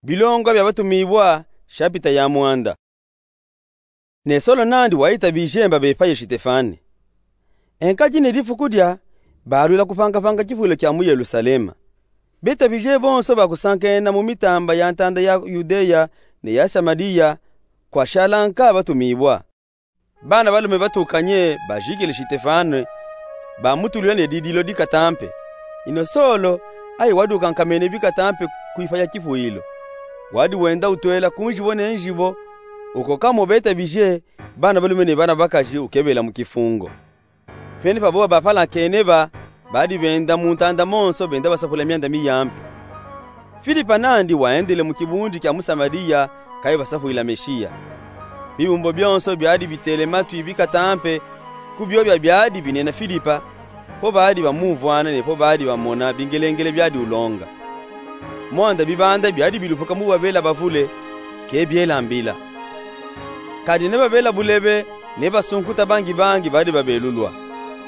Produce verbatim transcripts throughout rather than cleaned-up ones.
Bilonga bia Batumiwa, shapita ya mwanda. Ne Solo nandi wayitabije mba bepaye Shitefane. Enkadi ne difuku dia, balwila kupangapanga kifwilo kia mu Yelusalema. Betabije bonso bakusankena mu mitamba ya ntanda ya Yudeya ne ya Samaliya, kwashala nka Batumiwa. Bana balume batukanye bajikile Shitefane, bamutulwila ne didilo dikata mpe. Ino Solo, aye wadi ukankamene bikata mpe kwifaya kifwilo. Wadi wenda utwela ku njibo ne njibo, ukoka mo betabije, bana balume ne bana bakaji ukebela mu kifungo. Pene pa boba bapalankene ba, badi benda mu ntanda monso benda basapula mianda miya mpe. Filipa nandi wayendele mu kibundi kia mu Samaliya, kayi basapwila Meshiya. Bibumbo bionso biadi bitele matwi bikata mpe ku biobia biadi binena Filipa, po badi bamumvwana ne po badi bamona bingelengele biadi ulonga. Mwanda bibanda biadi bilupuka mu babela bavule, ke biela mbila. Kadi ne babela bulebe, ne basunkuta bangi bangi badi babelulwa.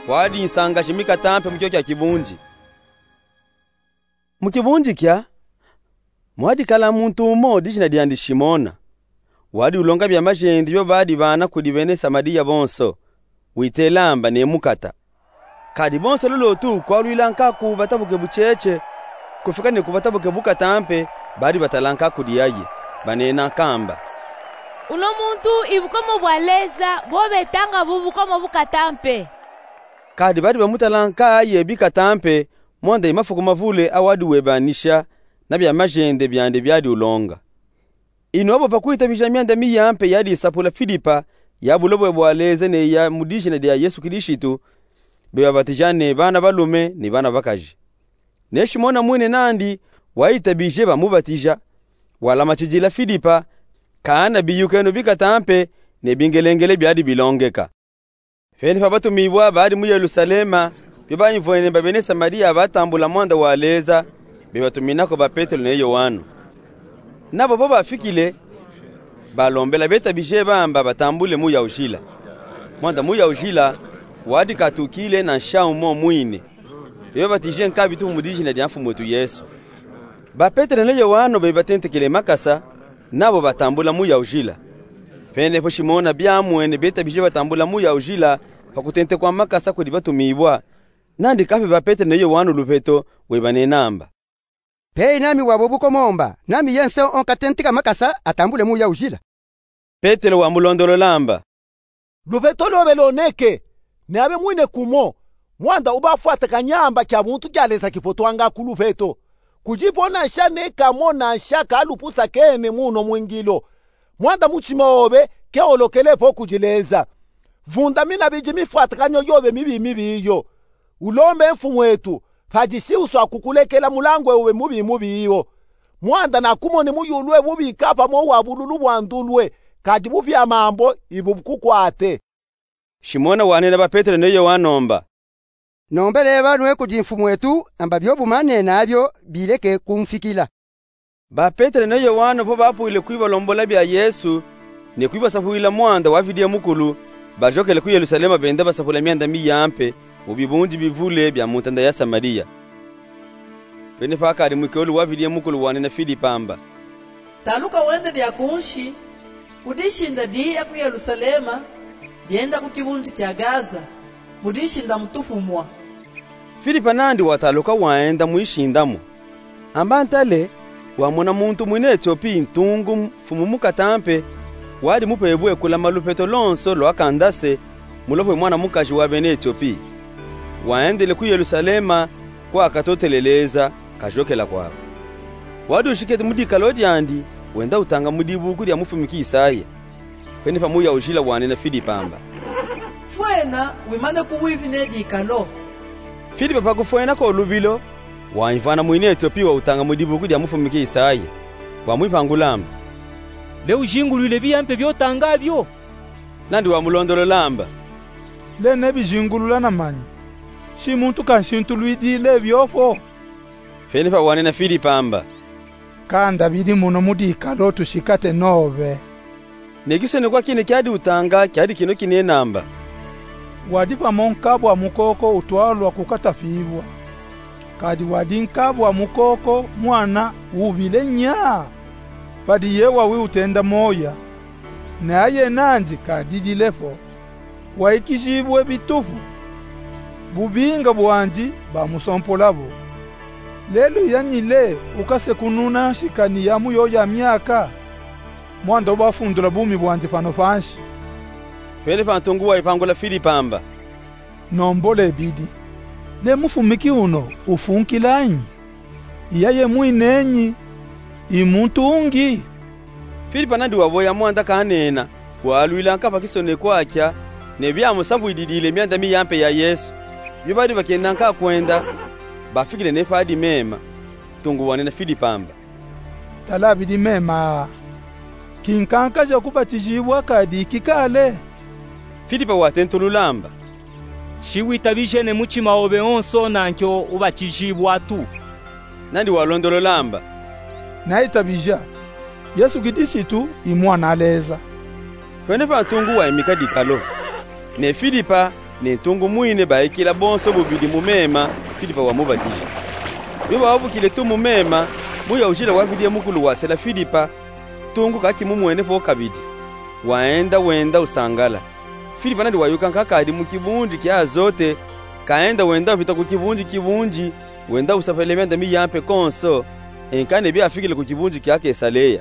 Kwadi nsanga jimikata mpe mu kio kia kibundi. Mu kibundi kia, mwadi kala muntu umo dijina diandi Shimona. Wadi ulonga bia majende bio badi bana kudi bene Samaliya bonso, witela mba ne mukata. Kadi bonso lolo tu kwalwila nka ku batabuke bucheche, kufika ne ku batabuke bukata mpe, badi batala nka kudi aye, banena nka mba: Uno muntu i bukomo bwa Leza, bo betanga bu bukomo bukata mpe. Kadi badi bamutala nka aye bikata mpe, mwanda i mafuku mavule awadi webanisha na bia majende biandi biadi ulonga. Ino abo pa kwitabija mianda miya mpe yadi isapula Filipa, ya bulobwe bwa Leza ne ya mu dijina dia Yesu Kilishitu, bebabatija ne bana balume ne bana bakaji. Ne Shimona mwine nandi wayitabije bamubatija, walamatijila Filipa, kana biyukeno bikata mpe ne bingelengele biadi bilongeka. Pene pa Batumiwa badi mu Yelusalema, bio bayimvwene mba bene Samaliya batambula mwanda wa Leza, bebatumina ko ba Petelo ne Yowano. Nabo po bafikile, balombela betabije ba mba batambule muya ujila. Mwanda muya ujila wadi katukile na nsha umo mwine. Bebabatije nka bitufu mu dijina dia Mfumu wetu Yesu. Ba Petelo ne Yowano bebatentekele makasa, nabo batambula muya ujila. Pene po Shimona biamwene betabije batambula muya ujila pa kutentekwa makasa kudi Batumiwa, nandi kape ba Petelo ne Yowano luveto, webanena mba: Peyi nami wabo bukomo mba, nami ye nse o nkatenteka makasa atambule muya ujila. Petelo wamulondolola mba: Luveto lwobe loneke, ne abe mwine kumo, mwanda ubafwatakanya mba kia buntu kia Leza kipotwanga ku luveto. Kudipo na nsha ne kamo na nsha kalupusakene mu uno mwingilo. Mwanda mutima wobe ke wolokele po kudi Leza. Vundamina bidi mifwatakanyo yobe mibi mibi iyo. Ulombe Mfumu wetu, padisi uswa kukulekela mulangu wobe mubi mubi iyo. Mwanda nakumone muyulu we bubi kapamo wa bululu bwa ndulwe, kadi bupia mambo ibu bukukwate. Shimona wanena ba Petelo ne Yowano mba: Nombele banwe kudi Mfumu wetu, amba bio bumanena bio bileke kumfikila. Ba Petelo ne Yowano po bapwile kwibalombola bia Yesu, ne kwibasapwila mwanda wa Vidiye Mukulu, bajokele ku Yelusalema benda basapula mianda miya mpe mu bibundi bivule bia mu ntanda ya Samaliya. Pene pakadi mwikelu wa Vidiye Mukulu wanena Filipa mba: Taluka wende dia kunshi, ku dishinda diya ku Yelusalema, dienda ku kibundi kia Gaza, mu dishinda mutufumwa. Filipa nandi wataluka wayenda mwishindamo. Amba ntale, wamona muntu mwina Etiopi ntungu mfumu mukata mpe, wadi mupebwe kulama luveto lonso lwa Kandase, mulopwe mwana mukaji wa bena Etiopi. Wayendele ku Yelusalema, kwa katotele Leza, kajokela kwabo. Wadi ushikete mu dikalo diandi, wenda utanga mu dibuku dia mufumiki Isaya. Pene pa muya ujila wanena Filipa mba: Fwena, wimane ku wivi ne dikalo. Filipa pakufwena ko lubilo, wayimvana mwina Etiopi wa utanga mu dibuku dia mufumiki Isaya. Wamwipangula mba: Le ujingulwile biya mpe biotanga bio? Nandi wamulondolola mba: Le nebijingulula na manyi, si muntu kanshintulwidile bio po. Pene pa wanena Filipa mba: Kanda bidi muno mu dikalo tushikate nobe. Ne kisonekwa kine kiadi utanga kiadi kino kinena mba: Wadi pamo nkabwa mukoko utwalwa ku katafibwa. Kadi wadi nkabwa mukoko mwana wubile nya. Padi ye wawi utenda moya, na ye nandi kadidile fo, waikizibue bitufu, bubinga bwandi bamusompola bo. Lelu yandi le ukasekununa nshikani ya mu yoya myaka, mwanda ubafundula bumi bwandi fano fansi. Fwene fa ntungu waipangula Filipa amba: Nombolo ebidi, le mufumiki uno ufunkila nyi? Iya ye mwinenyi? I muntu ungi? Filipa nandi waboya mwanda kanena, walwila nka fa kisonekwa kya, ne byamusambwididile myanda miyampe ya Yesu. Bio badi bakenda nka kwenda, bafikile ne fa dimema. Ntungu wanena Filipa amba: Tala bidi mema, kinkankaja kubatizibwa kadi kikale? Filipa watentulula amba: Shi witabije ne mutima obe onso, nankyo ubatizibwa tu. Nandi walondolola amba: Naitabija, Yesu Kilisitu i Mwana a Leza. Fwene fa ntungu waimika dikalo, ne Filipa ne ntungu mwine baikila bonso bubidi mu mema, Filipa wamubatija. Bio bawabukile tu mu mema, muya ujila wavidi ye mukulu wasela Filipa, ntungu kakimumwene fo kabidi. Waenda wenda usangala. Filipa nandi wayuka nka kadi mu kibunji kya Azote, kaenda wenda uvita ku kibunji kibunji, wenda usafele myanda miyampe konso, enka ne byafikile ku kibunji kya Kesaleya.